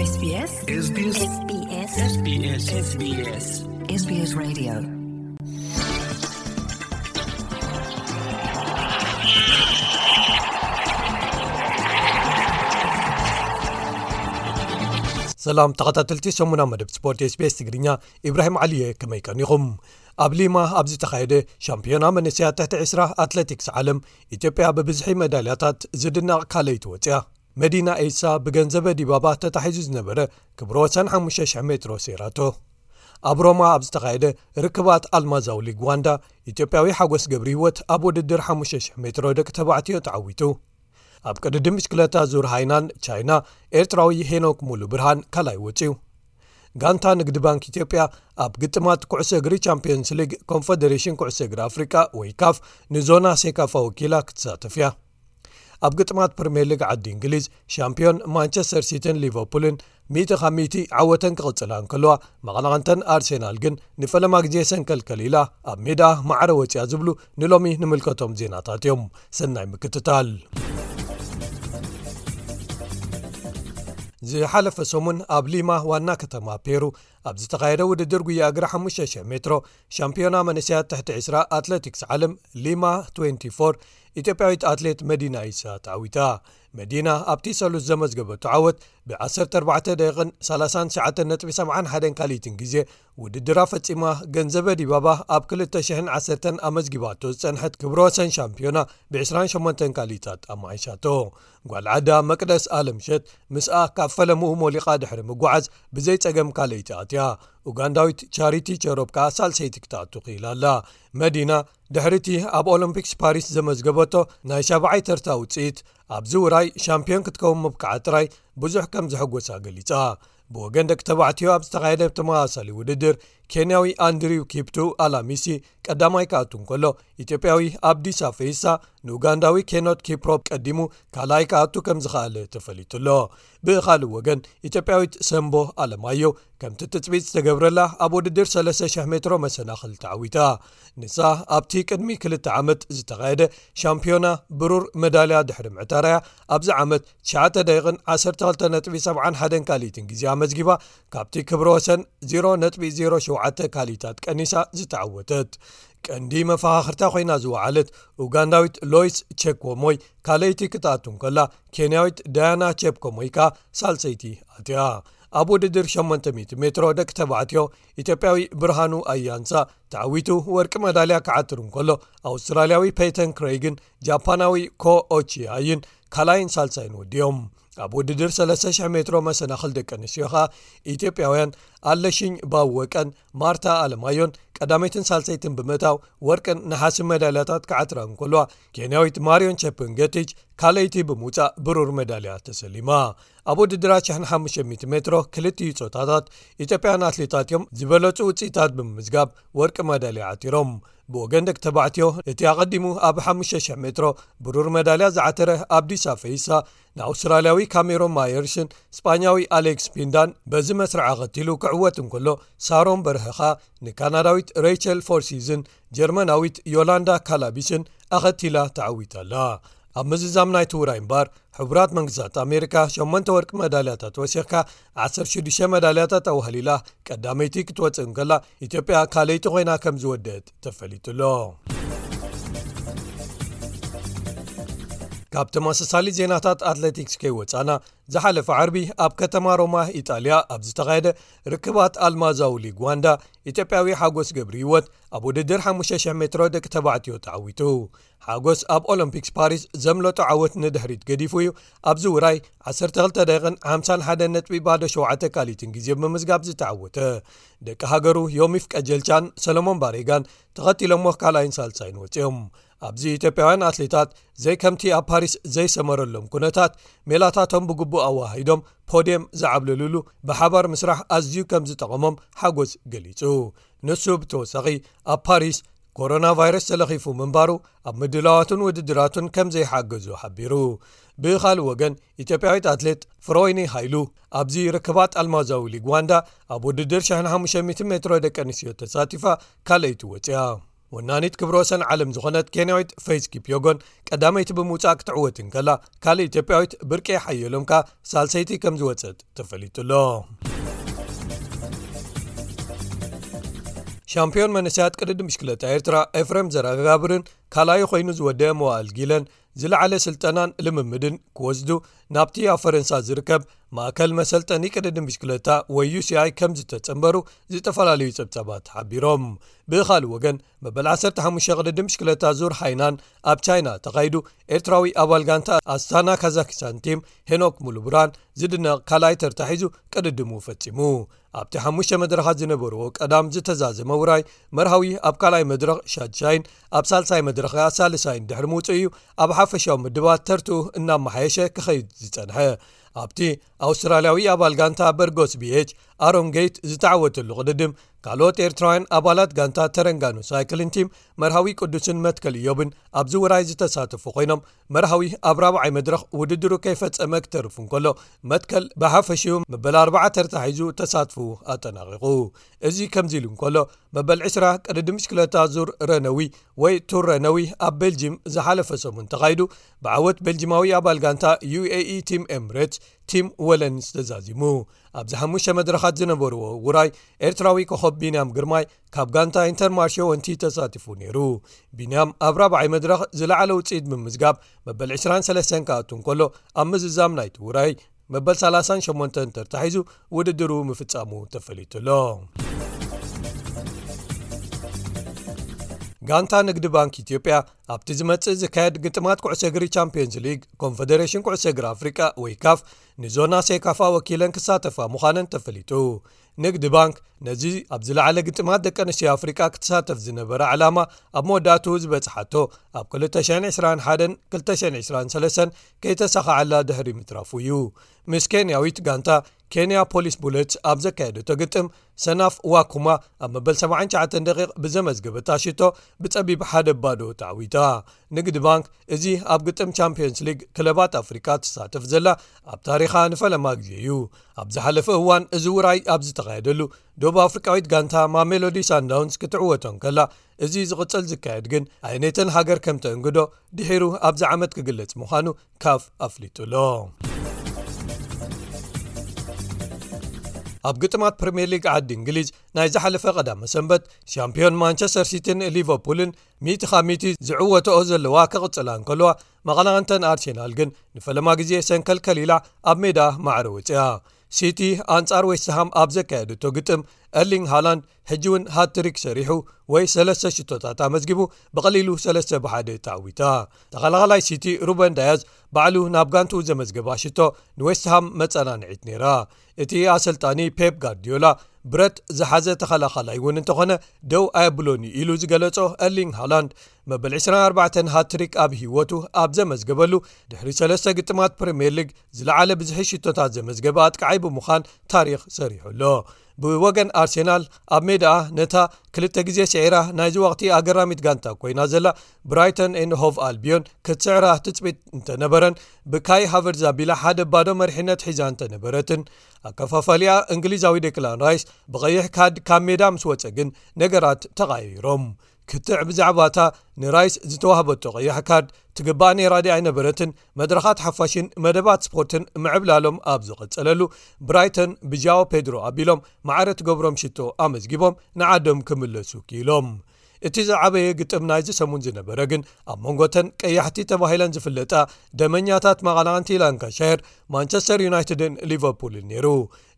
SBS SBS SBS SBS SBS Radio. ሰላም ተኸታተልቲ ሰሙና መደብ ስፖርት SBS ትግርኛ፣ ኢብራሂም ዓሊየ፣ ከመይ ቀኒኹም? ኣብ ሊማ ኣብ ዝተኻየደ ሻምፒዮና መንእሰያት ትሕቲ ዕስራ ኣትሌቲክስ ዓለም፣ ኢትዮጵያ ብብዝሒ መዳልያታት ዝድነቕ ካልኣይቲ ወጽያ። መዲና ኤሳ ብገንዘበ ዲባባ ተታሒዙ ዝነበረ ክብረ ወሰን ሓሙሽተ ሽሕ ሜትሮ ሰይራቶ። ኣብ ሮማ ኣብ ዝተኻየደ ርክባት ኣልማዛዊ ሊግ ዋንዳ፣ ኢትዮጵያዊ ሓጎስ ገብረ ህይወት ኣብ ውድድር ሓሙሽተ ሽሕ ሜትሮ ደቂ ተባዕትዮ ተዓዊቱ። ኣብ ቅድድም ብሽክለታ ዙር ሃይናን ቻይና፣ ኤርትራዊ ሄኖክ ሙሉ ብርሃን ካልኣይ ወጺኡ። ጋንታ ንግዲ ባንክ ኢትዮጵያ ኣብ ግጥማት ኩዕሶ እግሪ ቻምፒዮንስ ሊግ ኮንፈደሬሽን ኩዕሶ እግሪ ኣፍሪቃ ወይ ካፍ ንዞና ሴካፋ ወኪላ ክትሳተፍ እያ። ኣብ ግጥማት ፕሪምየር ሊግ ዓዲ እንግሊዝ፣ ሻምፒዮን ማንቸስተር ሲቲን ሊቨርፑልን ሚእቲ ካብ ሚእቲ ዓወተን ክቕጽላ እንከለዋ፣ መቐናቕንተን ኣርሴናል ግን ንፈለማ ግዜ ሰንከልከል ኢላ ኣብ ሜዳ ማዕረ ወጽያ ዝብሉ ንሎሚ ንምልከቶም ዜናታት እዮም። ሰናይ ምክትታል። ዝሓለፈ ሰሙን ኣብ ሊማ ዋና ከተማ ፔሩ ኣብ ዝተኻየደ ውድድር ጉያ እግሪ ሓሙሽተ ሽሕ ሜትሮ ሻምፒዮና መንእሰያት ትሕቲ ዕስራ ኣትሌቲክስ ዓለም ሊማ ትዌንቲ ፎር፣ ኢትዮጵያዊት ኣትሌት መዲና ኢሳ ተዓዊታ። መዲና ኣብቲ ሰሉስ ዘመዝገበቶ ዓወት ብ ዓሰርተ ኣርባዕተ ደቂቕን ሰላሳን ትሽዓተን ነጥቢ ሰብዓን ሓደን ካልኢትን ግዜ ውድድራ ፈጺማ፣ ገንዘበ ዲባባ ኣብ ክልተ ሽሕን ዓሰርተን ኣመዝጊባቶ ዝጸንሐት ክብረ ወሰን ሻምፒዮና ብ ዕስራን ሸሞንተን ካልኢታት ኣማሓይሻቶ። ጓል ዓዳ መቅደስ ኣለምሸት ምስኣ ካብ ፈለምኡ ሞሊቓ ድሕሪ ምጓዓዝ ብዘይ ጸገም ካልኣይቲ ኣትያ። ኡጋንዳዊት ቻሪቲ ቸሮፕ ከኣ ሳልሰይቲ ክትኣቱ ክኢላ ኣላ። መዲና ድሕሪቲ ኣብ ኦሎምፒክስ ፓሪስ ዘመዝገበቶ ናይ ሻብዓይ ተርታ ውጽኢት፣ ኣብዚ ውራይ ሻምፒዮን ክትከውን ምብቃዓ ጥራይ ብዙሕ ከም ዘሐጎሳ ገሊጻ። ብወገን ደቂ ተባዕትዮ ኣብ ዝተኻየደ ተመሳሳሊ ውድድር፣ ኬንያዊ ኣንድሪው ኪፕቱ ኣላሚሲ ቀዳማይ ክኣቱ እንከሎ፣ ኢትዮጵያዊ ኣብዲሳ ፈይሳ ንኡጋንዳዊ ኬኖት ኪፕሮፕ ቀዲሙ ካልኣይ ክኣቱ ከም ዝኸኣለ ተፈሊጡ ኣሎ። ብኻልእ ወገን፣ ኢትዮጵያዊት ሰምቦ ኣለማዮ ከምቲ ትጽቢት ዝተገብረላ ኣብ ውድድር ሰለስተ ሽሕ ሜትሮ መሰናኽል ተዓዊታ። ንሳ ኣብቲ ቅድሚ ክልተ ዓመት ዝተኻየደ ሻምፒዮና ብሩር መዳልያ ድሕሪ ምዕታራያ፣ ኣብዚ ዓመት ትሽዓተ ደቂቕን ዓሰርተ ክልተ ነጥቢ ሰብዓን ሓደን ካልኢትን ግዜ ኣመዝጊባ፣ ካብቲ ክብረ ወሰን ዜሮ ነጥቢ ዜሮ ሸውዓተ ካልኢታት ቀኒሳ ዝተዓወተት። ቀንዲ መፈኻኽርታ ኮይና ዝወዓለት ኡጋንዳዊት ሎይስ ቼኮሞይ ካልኣይቲ ክትኣቱ እንከላ፣ ኬንያዊት ዳያና ቼፕኮሞይ ከኣ ሳልሰይቲ ኣትያ። ኣብ ውድድር ሸሞንተ ሚእቲ ሜትሮ ደቂ ተባዕትዮ፣ ኢትዮጵያዊ ብርሃኑ ኣያንሳ ተዓዊቱ ወርቂ መዳልያ ክዓትር እንከሎ፣ ኣውስትራልያዊ ፔይተን ክሬይግን ጃፓናዊ ኮ ኦቺያይን ካልኣይን ሳልሳይን ወዲኦም። ኣብ ውድድር ሰለስተ ሽሕ ሜትሮ መሰናኽል ደቂ ኣንስትዮ ኸኣ፣ ኢትዮጵያውያን ኣለሽኝ ባወቀን ማርታ ኣለማዮን ቀዳመይትን ሳልሰይትን ብምእታው፣ ወርቅን ነሓስን መዳልያታት ክዓትራ እንከለዋ፣ ኬንያዊት ማርዮን ቸፕንገቲች ካልኣይቲ ብምውጻእ ብሩር መዳልያ ተሰሊማ። ኣብ ውድድራት ሽሕን ሓሙሽተ ሚእቲ ሜትሮ ክልቲኡ ጾታታት፣ ኢትዮጵያውያን ኣትሌታት እዮም ዝበለጹ ውጽኢታት ብምምዝጋብ ወርቂ መዳልያ ዓቲሮም። ብወገን ደቂ ተባዕትዮ፣ እቲ ኣቐዲሙ ኣብ ሓሙሽተ ሽሕ ሜትሮ ብሩር መዳልያ ዝዓተረ ኣብዲሳ ፈይሳ፣ ንኣውስትራልያዊ ካሜሮን ማየርስን ስጳኛዊ ኣሌክስ ፒንዳን በዚ መስርዕ ኣኸቲሉ ክዕወት እንከሎ፣ ሳሮን በርሀኻ ንካናዳዊት ሬይቸል ፎርሲዝን ጀርመናዊት ዮላንዳ ካላቢስን ኣኸቲላ ተዓዊታ ኣላ። ኣብ ምዝዛም ናይቲ ውራይ እምበር፣ ሕቡራት መንግስታት ኣሜሪካ ሸሞንተ ወርቂ መዳልያታት ወሲኽካ፣ ዓሰርተ ሽዱሽተ መዳልያታት ኣዋህሊላ ቀዳመይቲ ክትወጽእ እንከላ፣ ኢትዮጵያ ካልኣይቲ ኮይና ከም ዝወደት ተፈሊጡ ኣሎ። ካብ ተመሳሳሊ ዜናታት ኣትሌቲክስ ከይወጻና፣ ዝሓለፈ ዓርቢ ኣብ ከተማ ሮማ ኢጣልያ ኣብ ዝተኻየደ ርክባት ኣልማዛዊ ሊግ ዋንዳ፣ ኢትዮጵያዊ ሓጎስ ገብረ ህይወት ኣብ ውድድር ሓሙሽተ ሽሕ ሜትሮ ደቂ ተባዕትዮ ተዓዊቱ። ሓጎስ ኣብ ኦሎምፒክስ ፓሪስ ዘምለጦ ዓወት ንድሕሪት ገዲፉ እዩ፣ ኣብዚ ውራይ ዓሰርተ ክልተ ደቂቕን ሓምሳን ሓደን ነጥቢ ባዶ ሸውዓተ ካልኢትን ግዜ ብምዝጋብ ዝተዓወተ። ደቂ ሃገሩ ዮሚፍ ቀጀልቻን ሰለሞን ባሬጋን ተኸቲሎሞ ካልኣይን ሳልሳይን ወጺኦም። ኣብዚ ኢትዮጵያውያን ኣትሌታት ዘይከምቲ ኣብ ፓሪስ ዘይሰመረሎም ኩነታት፣ ሜላታቶም ብግቡእ ኣወሃሂዶም ፖድየም ዝዓብለሉሉ ብሓባር ምስራሕ ኣዝዩ ከም ዝጠቐሞም ሓጎስ ገሊጹ። ንሱ ብተወሳኺ፣ ኣብ ፓሪስ ኮሮና ቫይረስ ተለኺፉ ምንባሩ ኣብ ምድላዋቱን ውድድራቱን ከም ዘይሓገዞ ሓቢሩ። ብኻልእ ወገን፣ ኢትዮጵያዊት ኣትሌት ፍሮይኒ ሃይሉ ኣብዚ ርክባት ኣልማዛዊ ሊግ ዋንዳ ኣብ ውድድር ሽሕን ሓሙሽተ ሚእትን ሜትሮ ደቂ ኣንስትዮ ተሳቲፋ ካልኣይቲ ወጽያ። ወናኒት ክብረ ወሰን ዓለም ዝኾነት ኬንያዊት ፌዝ ኪፕዮጎን ቀዳመይቲ ብምውጻእ ክትዕወት እንከላ፣ ካልእ ኢትዮጵያዊት ብርቄ ሓየሎም ከኣ ሳልሰይቲ ከም ዝወጸት ተፈሊጡ ኣሎ። ሻምፒዮን መንእሰያት ቅድድም ብሽክለታ ኤርትራ ኤፍሬም ዘረጋብርን ካልኣዩ ኮይኑ ዝወደአ መዋእል ጊለን ዝለዓለ ስልጠናን ልምምድን ክወስዱ ናብቲ ኣብ ፈረንሳ ዝርከብ ማእከል መሰልጠኒ ቅድድም ብሽክለታ ወይ ዩ ሲ ኣይ ከም ዝተጸንበሩ ዝተፈላለዩ ጸብጻባት ሓቢሮም። ብኻልእ ወገን፣ መበል ዓሰርተ ሓሙሽተ ቅድድም ብሽክለታ ዙር ሃይናን ኣብ ቻይና ተኻይዱ፣ ኤርትራዊ ኣባል ጋንታ ኣስታና ካዛኪስታን ቲም ሄኖክ ሙሉብራን ዝድነቕ ካልኣይ ተርታ ሒዙ ቅድድሙ ፈጺሙ። ኣብቲ ሓሙሽተ መድረኻት ዝነበርዎ ቀዳም ዝተዛዘመ ውራይ፣ መርሃዊ ኣብ ካልኣይ መድረኽ ሻድሻይን ኣብ ሳልሳይ መድረኽ ከኣ ሳልሳይን ድሕሪ ምውጽኡ እዩ ኣብ ሓፈሻዊ ምድባት ተርትኡ እናመሓየሸ ክኸይድ ዝጸንሐ። ኣብቲ ኣውስትራልያዊ ኣባል ጋንታ በርጎስ ቢ ኤች ኣሮን ጌት ዝተዓወተሉ ቅድድም፣ ካልኦት ኤርትራውያን ኣባላት ጋንታ ተረንጋኑ ሳይክሊን ቲም መርሃዊ ቅዱስን መትከል ኢዮብን ኣብዚ ውራይ ዝተሳተፉ ኮይኖም፣ መርሃዊ ኣብ ራብዓይ መድረኽ ውድድሩ ከይፈጸመ ክተርፍ እንከሎ፣ መትከል ብሓፈሽኡ መበል ኣርባዓ ተርታ ሒዙ ተሳትፉ ኣጠናቒቑ። እዚ ከምዚ ኢሉ እንከሎ፣ መበል ዕስራ ቅድድም ብሽክለታ ዙር ረነዊ ወይ ቱር ረነዊ ኣብ ቤልጂም ዝሓለፈ ሰሙን ተኻይዱ፣ ብዓወት ቤልጂማዊ ኣባል ጋንታ ዩ ኤ ኢ ቲም ኤምሬትስ ቲም ወለንስ ተዛዚሙ። ኣብዚ ሓሙሽተ መድረኻት ዝነበርዎ ውራይ፣ ኤርትራዊ ኮኸብ ቢንያም ግርማይ ካብ ጋንታ ኢንተርማርሼ ወንቲ ተሳቲፉ ነይሩ። ቢንያም ኣብ ራብዓይ መድረኽ ዝለዓለ ውጽኢት ብምምዝጋብ መበል ዕስራን ሰለስተን ክኣቱ እንከሎ፣ ኣብ ምዝዛም ናይቲ ውራይ መበል ሰላሳን ሸሞንተን ተርታ ሒዙ ውድድሩ ምፍጻሙ ተፈሊጡ ኣሎ። ጋንታ ንግዲ ባንክ ኢትዮጵያ ኣብቲ ዝመጽእ ዝካየድ ግጥማት ኩዕሶ እግሪ ቻምፒዮንስ ሊግ ኮንፈደሬሽን ኩዕሶ እግሪ ኣፍሪቃ ወይ ካፍ ንዞና ሴካፋ ወኪለን ክሳተፋ ምዃነን ተፈሊጡ። ንግዲ ባንክ ነዚ ኣብ ዝለዓለ ግጥማት ደቂ ኣንስትዮ ኣፍሪቃ ክትሳተፍ ዝነበረ ዕላማ ኣብ መወዳእትኡ ዝበጽሓቶ ኣብ ክልተ ሽሕን ዕስራን ሓደን ክልተ ሽሕን ዕስራን ሰለስተን ከይተሳኻዓላ ድሕሪ ምትራፉ እዩ። ምስ ኬንያዊት ጋንታ ኬንያ ፖሊስ ቡለትስ ኣብ ዘካየደቶ ግጥም፣ ሰናፍ ዋኩማ ኣብ መበል ሰብዓን ትሽዓተን ደቂቕ ብዘመዝገበታ ሽቶ ብጸቢብ ሓደ ባዶ ተዓዊታ። ንግዲ ባንክ እዚ ኣብ ግጥም ቻምፒዮንስ ሊግ ክለባት ኣፍሪቃ ትሳተፍ ዘላ ኣብ ታሪኻ ንፈለማ ግዜ እዩ። ኣብ ዝሓለፈ እዋን እዚ ውራይ ኣብ ዝተኻየደሉ፣ ደቡብ ኣፍሪቃዊት ጋንታ ማሜሎዲ ሳንዳውንስ ክትዕወቶ እንከላ፣ እዚ ዝቕጽል ዝካየድ ግን ኣየነይተን ሃገር ከም ተእንግዶ ድሒሩ ኣብዚ ዓመት ክግለጽ ምዃኑ ካፍ ኣፍሊጡ ኣሎ። ኣብ ግጥማት ፕሪምየር ሊግ ዓዲ እንግሊዝ ናይ ዝሓለፈ ቀዳመ ሰንበት፣ ሻምፒዮን ማንቸስተር ሲቲን ሊቨርፑልን ሚእቲ ካብ ሚእቲ ዝዕወተኦ ዘለዋ ክቕጽላ እንከለዋ፣ መቐናቕንተን ኣርሴናል ግን ንፈለማ ግዜ ሰንከልከል ኢላ ኣብ ሜዳ ማዕረ ወጽያ። ሲቲ ኣንጻር ዌስትሃም ኣብ ዘካየደቶ ግጥም፣ ኤርሊንግ ሃላንድ ሕጂ እውን ሃትሪክ ሰሪሑ ወይ ሰለስተ ሽቶታት ኣመዝጊቡ፣ ብቐሊሉ ሰለስተ ብሓደ ተዓዊታ። ተኸላኻላይ ሲቲ ሩበን ዳያዝ ባዕሉ ናብ ጋንትኡ ዘመዝገባ ሽቶ ንዌስትሃም መጸናንዒት ነይራ። እቲ ኣሰልጣኒ ፔፕ ጋርዲዮላ ብረት ዝሓዘ ተኸላኻላይ እውን እንተኾነ ደው ኣየብሎን እዩ ኢሉ ዝገለጾ ኤርሊንግ ሃላንድ፣ መበል ዕስራን ኣርባዕተን ሃትሪክ ኣብ ህይወቱ ኣብ ዘመዝገበሉ፣ ድሕሪ ሰለስተ ግጥማት ፕሪምየር ሊግ ዝለዓለ ብዝሒ ሽቶታት ዘመዝገበ ኣጥቃዓይ ብምዃን ታሪኽ ሰሪሑ ኣሎ። ብወገን ኣርሴናል፣ ኣብ ሜዳኣ ነታ ክልተ ግዜ ስዒራ ናይዚ ወቕቲ ኣገራሚት ጋንታ ኮይና ዘላ ብራይተን ኤንድ ሆቭ ኣልቢዮን ክትስዕራ ትጽቢት እንተነበረን፣ ብካይ ሃቨርዝ ኣቢላ ሓደ ባዶ መሪሕነት ሒዛ እንተነበረትን፣ ኣከፋፋሊኣ እንግሊዛዊ ዴክላን ራይስ ብቐይሕ ካርድ ካብ ሜዳ ምስ ወጸ ግን ነገራት ተቐያይሮም። ክትዕ ብዛዕባታ ንራይስ ዝተዋህበቶ ቀያሕ ካርድ ትግባእ ነይራ ድያ ኣይነበረትን፣ መድረኻት ሓፋሽን መደባት ስፖርትን ምዕብላሎም ኣብ ዝቐጸለሉ፣ ብራይተን ብጃኦ ፔድሮ ኣቢሎም ማዕረ ትገብሮም ሽቶ ኣመዝጊቦም ንዓዶም ክምለሱ ክኢሎም። እቲ ዝዓበየ ግጥም ናይዚ ሰሙን ዝነበረ ግን ኣብ መንጎተን ቀያሕቲ ተባሂለን ዝፍለጣ ደመኛታት መቐናቕንቲ ላንካሻየር፣ ማንቸስተር ዩናይትድን ሊቨርፑልን ነይሩ።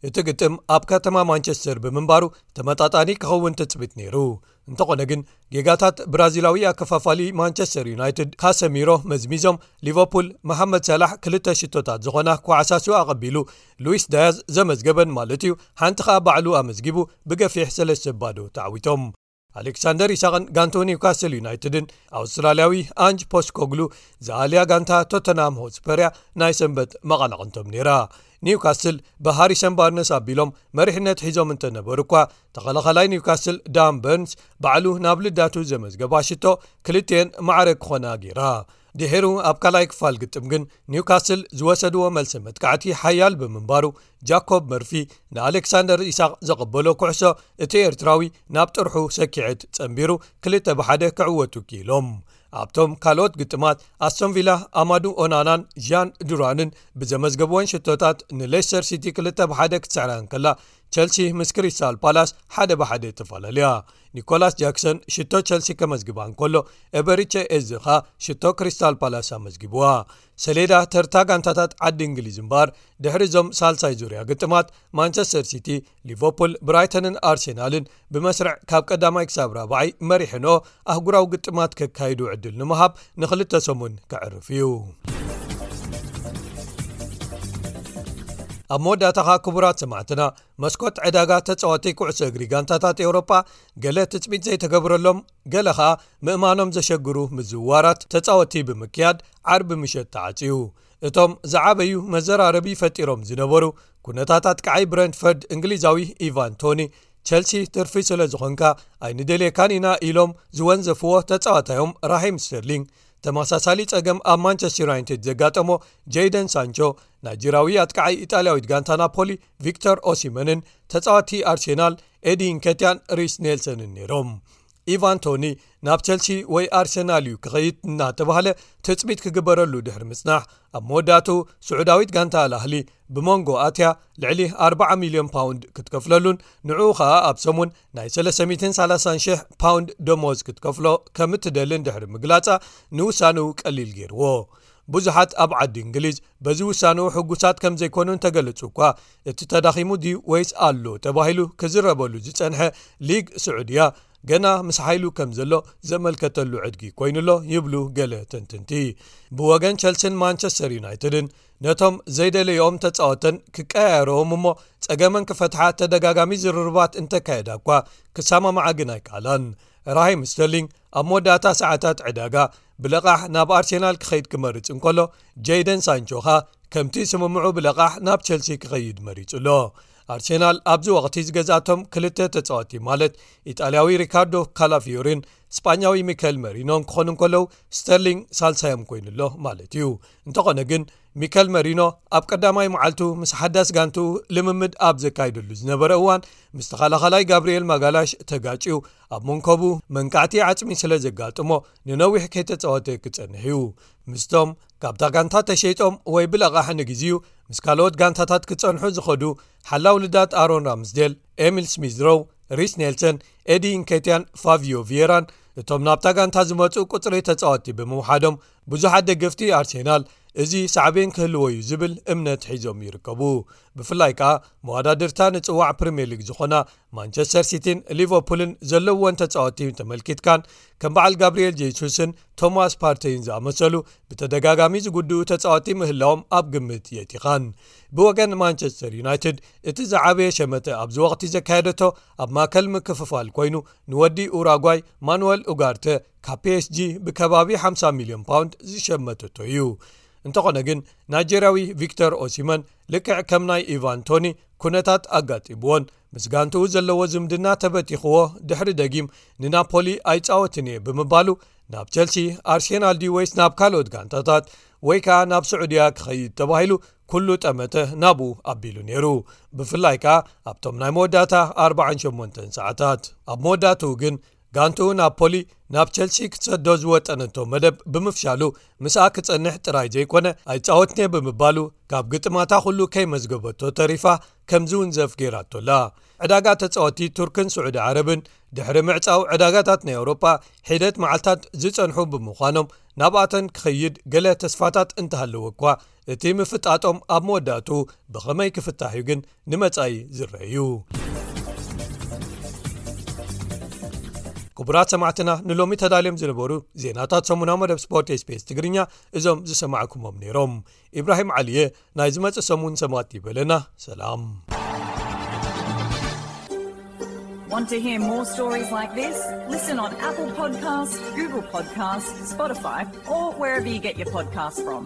እቲ ግጥም ኣብ ከተማ ማንቸስተር ብምንባሩ ተመጣጣኒ ክኸውን ትጽቢት ነይሩ። እንተኾነ ግን፣ ጌጋታት ብራዚላዊ ኣከፋፋሊ ማንቸስተር ዩናይትድ ካሰሚሮ መዝሚዞም፣ ሊቨርፑል መሓመድ ሳላሕ ክልተ ሽቶታት ዝኾና ክወዓሳሱ ኣቐቢሉ፣ ሉዊስ ዳያዝ ዘመዝገበን ማለት እዩ፣ ሓንቲ ኸኣ ባዕሉ ኣመዝጊቡ ብገፊሕ ሰለስተ ባዶ ተዓዊቶም። ኣሌክሳንደር ኢሳቕን ጋንቶ ኒውካስል ዩናይትድን ኣውስትራልያዊ ኣንጅ ፖስኮግሉ ዝኣልያ ጋንታ ቶተንሃም ሆትስፐር እያ ናይ ሰንበት መቐናቕንቶም ነይራ። ኒውካስል ብሃሪሰን ባርነስ ኣቢሎም መሪሕነት ሒዞም እንተነበሩ እኳ፣ ተኸላኻላይ ኒውካስል ዳን በርንስ ባዕሉ ናብ ልዳቱ ዘመዝገባ ሽቶ ክልቲኤን ማዕረ ክኾና ገይራ። ድሒሩ ኣብ ካልኣይ ክፋል ግጥም ግን ኒውካስል ዝወሰድዎ መልሲ መጥቃዕቲ ሓያል ብምንባሩ፣ ጃኮብ መርፊ ንኣሌክሳንደር ኢሳቕ ዘቐበሎ ኩዕሶ እቲ ኤርትራዊ ናብ ጥርሑ ሰኪዐት ጸንቢሩ ክልተ ብሓደ ክዕወቱ ክኢሎም። ኣብቶም ካልኦት ግጥማት ኣስቶን ቪላ ኣማዱ ኦናናን ዣን ዱራንን ብዘመዝገብወን ሽቶታት ንሌስተር ሲቲ ክልተ ብሓደ ክትስዕራ እንከላ፣ ቸልሲ ምስ ክሪስታል ፓላስ ሓደ ብሓደ ተፈላለያ። ኒኮላስ ጃክሰን ሽቶ ቸልሲ ከመዝግባ እንከሎ፣ ኤበሪቸ ኤዝ ኸኣ ሽቶ ክሪስታል ፓላስ ኣመዝጊብዋ። ሰሌዳ ተርታ ጋንታታት ዓዲ እንግሊዝ እምበኣር፣ ድሕሪ እዞም ሳልሳይ ዙርያ ግጥማት ማንቸስተር ሲቲ፣ ሊቨርፑል፣ ብራይተንን ኣርሴናልን ብመስርዕ ካብ ቀዳማይ ክሳብ ራብዓይ መሪሕንኦ ኣህጉራዊ ግጥማት ከካይዱ ዕድል ንምሃብ ንኽልተ ሰሙን ከዕርፍ እዩ። ኣብ መወዳእታ ኸኣ ክቡራት ሰማዕትና፣ መስኮት ዕዳጋ ተጻወቲ ኩዕሶ እግሪ ጋንታታት ኤውሮጳ ገለ ትጽቢት ዘይተገብረሎም፣ ገለ ኸኣ ምእማኖም ዘሸግሩ ምዝውዋራት ተጻወቲ ብምክያድ ዓርቢ ምሸት ተዓጽዩ። እቶም ዝዓበዩ መዘራረቢ ፈጢሮም ዝነበሩ ኩነታት ኣጥቃዓይ ብረንትፈርድ እንግሊዛዊ ኢቫን ቶኒ፣ ቸልሲ ትርፊ ስለ ዝኾንካ ኣይንደልየካን ኢና ኢሎም ዝወንዘፍዎ ተጻዋታዮም ራሂም ስተርሊንግ፣ ተመሳሳሊ ጸገም ኣብ ማንቸስተር ዩናይትድ ዘጋጠሞ ጀይደን ሳንቾ፣ ናይጀራዊ ኣጥቃዓይ ኢጣልያዊት ጋንታ ናፖሊ ቪክተር ኦሲመንን ተጻዋቲ ኣርሴናል ኤዲ እንከትያን ሪስ ኔልሰንን ነይሮም። ኢቫን ቶኒ ናብ ቸልሲ ወይ ኣርሰናል እዩ ክኸይድ እናተባህለ ትጽቢት ክግበረሉ ድሕሪ ምጽናሕ፣ ኣብ መወዳእቱ ስዑዳዊት ጋንታ ኣልኣህሊ ብመንጎ ኣትያ ልዕሊ ኣርብዓ ሚልዮን ፓውንድ ክትከፍለሉን ንዕኡ ኸኣ ኣብ ሰሙን ናይ ሰለስተ ሚእትን ሰላሳን ሽሕ ፓውንድ ደሞዝ ክትከፍሎ ከም እትደልን ድሕሪ ምግላጻ፣ ንውሳንኡ ቀሊል ገይርዎ። ብዙሓት ኣብ ዓዲ እንግሊዝ በዚ ውሳንኡ ሕጉሳት ከም ዘይኮኑ እንተገለጹ እኳ፣ እቲ ተዳኺሙ ድዩ ወይስ ኣሎ ተባሂሉ ክዝረበሉ ዝጸንሐ ሊግ ስዑድያ፣ ገና ምስ ሓይሉ ከም ዘሎ ዘመልከተሉ ዕድጊ ኮይኑሎ ይብሉ ገለ ተንተንቲ። ብወገን ቸልሲን ማንቸስተር ዩናይትድን፣ ነቶም ዘይደለይኦም ተጻወተን ክቀያየረዎም እሞ ጸገመን ክፈትሓ ተደጋጋሚ ዝርርባት እንተካየዳ እኳ፣ ክሰማምዓ ግን ኣይከኣላን። ራሂም ስተርሊንግ ኣብ መወዳእታ ሰዓታት ዕዳጋ ብለቓሕ ናብ ኣርሴናል ክኸይድ ክመርጽ እንከሎ፣ ጀይደን ሳንቾ ኸኣ ከምቲ ስምምዑ ብለቓሕ ናብ ቸልሲ ክኸይድ መሪጹ ኣሎ። ኣርሴናል ኣብዚ ወቕቲ ዝገዝኣቶም ክልተ ተጻወቲ፣ ማለት ኢጣልያዊ ሪካርዶ ካላፊዮሪን ስጳኛዊ ሚካኤል መሪኖን ክኾኑ እንከለዉ፣ ስተርሊንግ ሳልሳዮም ኮይኑ ኣሎ ማለት እዩ። እንተኾነ ግን፣ ሚካኤል መሪኖ ኣብ ቀዳማይ መዓልቱ ምስ ሓዳስ ጋንትኡ ልምምድ ኣብ ዘካይደሉ ዝነበረ እዋን፣ ምስ ተኸላኻላይ ጋብርኤል ማጋላሽ ተጋጭዩ፣ ኣብ መንከቡ መንቃዕቲ ዓጽሚ ስለ ዘጋጥሞ፣ ንነዊሕ ከይተጻወተ ክጸንሕ እዩ። ምስቶም ካብታ ጋንታ ተሸይጦም ወይ ብለቓሕ ንግዜኡ ምስ ካልኦት ጋንታታት ክጸንሑ ዝኸዱ ሓላው ልዳት ኣሮን ራምስዴል፣ ኤሚል ስሚዝሮው፣ ሪስ ኔልሰን፣ ኤዲ ኢንኬትያን ፋቪዮ ቪየራን፣ እቶም ናብታ ጋንታ ዝመጹ ቁጽሪ ተጻወቲ ብምውሓዶም፣ ብዙሓት ደገፍቲ ኣርሴናል እዚ ሳዕቤን ክህልዎ እዩ ዝብል እምነት ሒዞም ይርከቡ። ብፍላይ ከኣ መወዳድርታ ንጽዋዕ ፕሪምየር ሊግ ዝኾና ማንቸስተር ሲቲን ሊቨርፑልን ዘለውወን ተጻወቲ ተመልኪትካን፣ ከም በዓል ጋብርኤል ጄሱስን ቶማስ ፓርተይን ዝኣመሰሉ ብተደጋጋሚ ዝጉድኡ ተጻወቲ ምህላዎም ኣብ ግምት የእቲኻን። ብወገን ማንቸስተር ዩናይትድ፣ እቲ ዝዓበየ ሸመተ ኣብዚ ወቕቲ ዘካየደቶ ኣብ ማእከል ምክፍፋል ኮይኑ፣ ንወዲ ኡራጓይ ማኑወል ኡጋርተ ካብ ፒ ኤስ ጂ ብከባቢ ሓምሳ ሚልዮን ፓውንድ ዝሸመተቶ እዩ። እንተኾነ ግን፣ ናይጀርያዊ ቪክተር ኦሲመን ልክዕ ከም ናይ ኢቫን ቶኒ ኩነታት ኣጋጢምዎን፣ ምስ ጋንትኡ ዘለዎ ዝምድና ተበቲኽዎ ድሕሪ ደጊም ንናፖሊ ኣይጻወትን እየ ብምባሉ፣ ናብ ቸልሲ፣ ኣርሴናል ድዩ ወይስ ናብ ካልኦት ጋንታታት ወይ ከኣ ናብ ስዑድያ ክኸይድ ተባሂሉ፣ ኩሉ ጠመተ ናብኡ ኣቢሉ ነይሩ። ብፍላይ ከኣ ኣብቶም ናይ መወዳእታ ኣርብዓን ሸሞንተን ሰዓታት። ኣብ መወዳእትኡ ግን፣ ጋንትኡ ናፖሊ ናብ ቸልሲ ክትሰዶ ዝወጠነቶ መደብ ብምፍሻሉ፣ ምስኣ ክጸንሕ ጥራይ ዘይኮነ፣ ኣይጻወትን'የ ብምባሉ፣ ካብ ግጥማታ ኩሉ ከይመዝገበቶ ተሪፋ ከም ዝውንዘፍ ገይራቶ ኣላ። ዕዳጋ ተጻወቲ ቱርክን ስዑዲ ዓረብን ድሕሪ ምዕጻው ዕዳጋታት ናይ ኣውሮጳ ሒደት መዓልታት ዝጸንሑ ብምዃኖም፣ ናብኣተን ክኸይድ ገለ ተስፋታት እንተሃለወ እኳ፣ እቲ ምፍጣጦም ኣብ መወዳእትኡ ብኸመይ ክፍታሕ እዩ ግን ንመጻኢ ዝረአ እዩ። ክቡራት ሰማዕትና፣ ንሎሚ ተዳልዮም ዝነበሩ ዜናታት ሰሙናዊ መደብ ስፖርት ኤስ ቢ ኤስ ትግርኛ እዞም ዝሰማዕኩሞም ነይሮም። ኢብራሂም ዓሊየ ናይ ዝመጽእ ሰሙን ሰማዕቲ ይበለና። ሰላም። Want to hear more stories like this? Listen on Apple Podcasts, Google Podcasts, Spotify, or wherever you get your podcasts from.